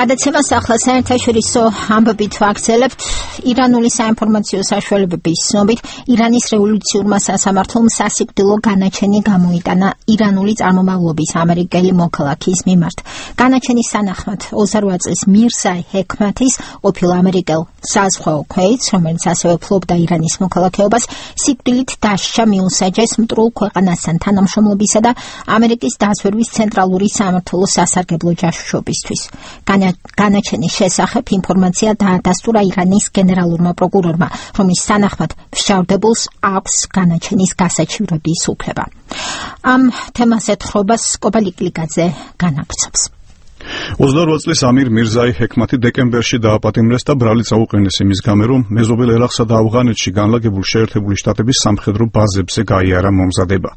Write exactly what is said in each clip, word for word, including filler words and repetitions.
გადაცემას ახლა საერთაშორისო ამბებით ვაგრძელებთ. ირანული საინფორმაციო საშუალებების ცნობით, ირანის რევოლუციურმა სასამართლომ სასიკვდილო განაჩენი გამოიტანა ირანული წარმომავლობის ამერიკელი მოქალაქის მიმართ. განაჩენის სანახმად ოცდაოთხ წლის მირზა ჰექმათის ყოფილ ამერიკელ საზღვაო ქვეითს, რომელიც ასევე ფლობდა ირანის მოქალაქეობას, სიკვდილით დასჯა მიუსაჯეს მტრულ ქვეყანასთან თანამშრომლობისა და ამერიკის დაზვერვის ცენტრალური სამმართველოს სასარგებლო ჯაშუშობისთვის. განაჩენის შესახებ ინფორმაცია დაადასტურა ირანის გენერალურმა პროკურორმა, რომლის სანახმად მშავდებულს აქვს განაჩენის გასაჩივრების უფლება. ამ თემაზე თხრობას კობალიკლიკაძე განაგრძობს. ოცდაორ წლის ამირ მირზაი ჰექმათი დეკემბერში დააპატიმრეს და ბრალი წაუყენეს იმის გამო, რომ მეზობელ ერაყსა და ავღანეთში განლაგებულ შეერთებული შტატების სამხედრო ბაზებზე გაიარა მომზადება.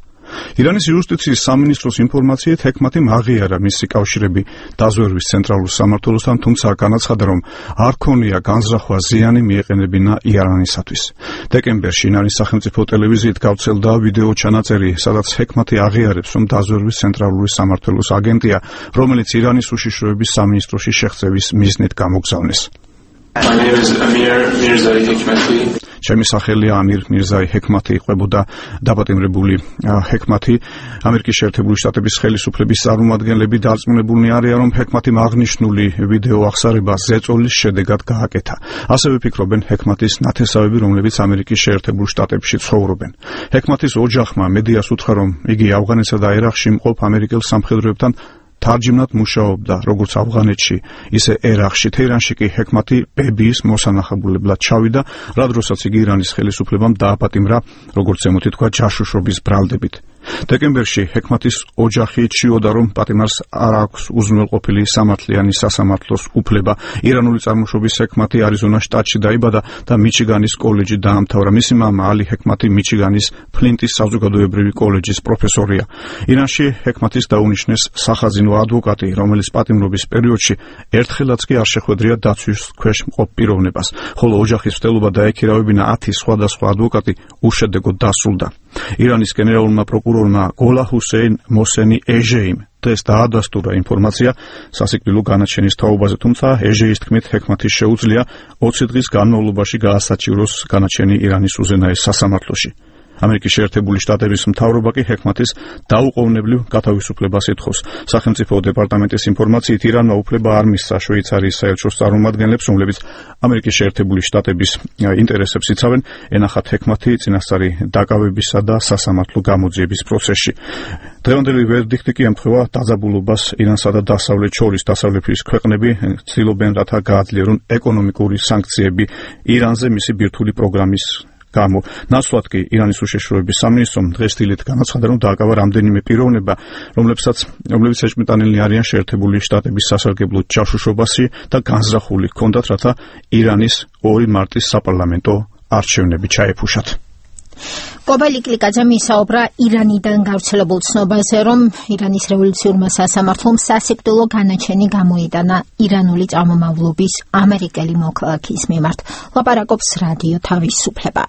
ირანის იუსტიციის სამინისტროს ინფორმაციით ჰექმათიმ აღიარა მისი კავშირები დაზვერვის ცენტრალურ სამმართველოსთან, თუმცა განაცხადა, რომ არ ქონია განზრახვა ზიანი მიეყენებინა ირანისათვის. დეკემბერში ირანის სახელმწიფო ტელევიზიით გავრცელდა ვიდეო ჩანაწერი, სადაც ჰექმათი აღიარებს, რომ დაზვერვის ცენტრალური სამმართველოს აგენტია, რომელიც ირანის უშიშროების სამინისტროში შეღწევის მიზნით გამოგზავნეს. My name is Amir Mirzai Hekmati. ჩემი სახელია ამირ მირზაი ჰექმათი, იყვებოდა დაპატიმრებული ჰექმათი. ამერიკის შეერთებული შტატების ხელისუფლების წარმომადგენლები დარწმუნებულნი არიან, რომ ჰექმათიმ აღნიშნული ვიდეო აღსარება ზეწოლის შედეგად გააკეთა. ასევე ფიქრობენ ჰექმათის ნათესავები, რომლებიც ამერიკის შეერთებულ შტატებში ცხოვრობენ. ჰექმათის ოჯახმა მედიას უთხრა, რომ იგი ავღანეთსა და ერაყში მყოფ ამერიკელ სამხედროებთან თარჯიმნად მუშაობდა, როგორც ავღანეთში, ისე ერაყში. თეირანში კი ჰექმათი ბებიის მოსანახებებლად ჩავიდა, რა დროსაც იგი ირანის ხელისუფლებამ დააპატიმრა, როგორც ზემოთ ითქვა, ჯაშუშობის ბრალდებით. დეკემბერში ჰექმათის ოჯახი ჩიოდა, რომ პატიმარს არ აქვს უზრუნველყოფილი სამართლიანი სასამართლოს უფლება. ირანული წარმოშობის ჰექმათი არიზონას შტატში დაიბადა და მიჩიგანის კოლეჯი დაამთავრა. მისი მამა ალი ჰექმათი მიჩიგანის ფლინტის საზოგადოებრივი კოლეჯის პროფესორია. ირანში ჰექმათის დაუნიშნეს სახაზინო ადვოკატი, რომელიც პატიმრობის პერიოდში ერთხელაც კი არ შეხვედრია დაცვის ქვეშ მყოფ პიროვნებას, ხოლო ოჯახის მცდელობა დაექირავებინა ათი სხვადასხვა ადვოკატი უშედეგოდ დასრულდა. ირანის გენერალურმა პროკურორმა გოლა ჰუსეინ მოსენი ეჟეიმ დღეს დაადასტურა ინფორმაცია სასიკვდილო განაჩენის თაობაზე, თუმცა ეჟეის თქმით ჰექმათის შეუძლია ოცი დღის განმავლობაში გაასაჩივროს განაჩენი ირანის უზენაეს სასამართლოში. ამერიკის შეერთებული შტატების მთავრობა კი ჰექმათის დაუყოვნებლივ გათავისუფლებას ითხოვს. სახელმწიფო დეპარტამენტის ინფორმაციით ირანმა უფლება არ მისცა შვეიცარიის საელჩოს წარმომადგენლებს, რომლებიც ამერიკის შეერთებული შტატების ინტერესებს იცავენ, ენახათ ჰექმათი წინასწარი დაკავებისა და სასამართლო გამოძიების პროცესში. დღევანდელი ვერდიქტი კი ემთხვევა დაძაბულობას ირანსა და დასავლეთ შორის. დასავლეთის ქვეყნები ცდილობენ, რათა გააძლიერონ ეკონომიკური სანქციები ირანზე მისი ბირთვული პროგრამის გამო. ნაცვლად კი ირანის უშიშროების სამინისტრომ დღეს დილით განაცხადა, რომ დააკავა რამდენიმე პიროვნება, რომლებსაც რომლებიც ეჭვმიტანილნი არიან შეერთებული შტატების სასარგებლო ჯაშუშობაში და განზრახული ჰქონდათ, რათა ირანის ორი მარტის საპარლამენტო არჩევნები ჩაეფუშათ. კობალიკლიკაძემ ისაუბრა ირანიდან გავრცელებულ ცნობაზე, რომ ირანის რევოლუციურმა სასამართლომ სასიკვდილო განაჩენი გამოიტანა ირანული წარმომავლობის ამერიკელი მოქალაქის მიმართ. ლაპარაკობს რადიო თავისუფლება.